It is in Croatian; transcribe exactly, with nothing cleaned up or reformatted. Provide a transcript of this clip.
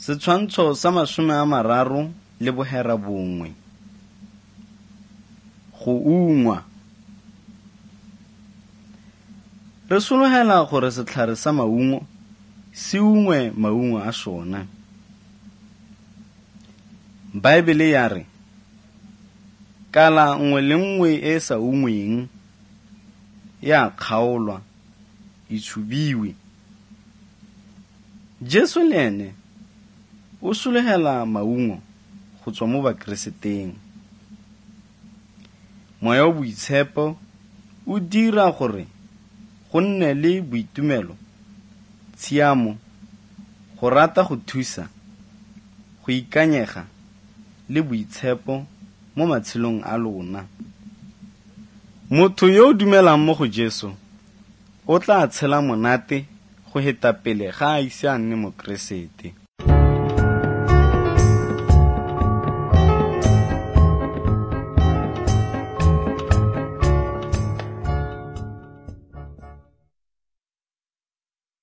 Setshwantsho sa masome a mararo le bohera bongwe. Go ungwa. Re sologela gore setlhare sa maungo se ungwe maungo a sona. Baebele ya re, kala nngwe le nngwe e sa ungweng ya kgaolwa, e tshubiwe. Jesu le ene o sologela maungo go tswa mo bakereseteng. Moya wa boitshepo o dira gore go nne le boitumelo, tshiamo, go rata go thusa, go ikanyega le boitshepo mo matshelong a lona. Motho yo o dumelang mo go Jesu o tla tshela monate go heta pele ga a ise a nne Mokeresete.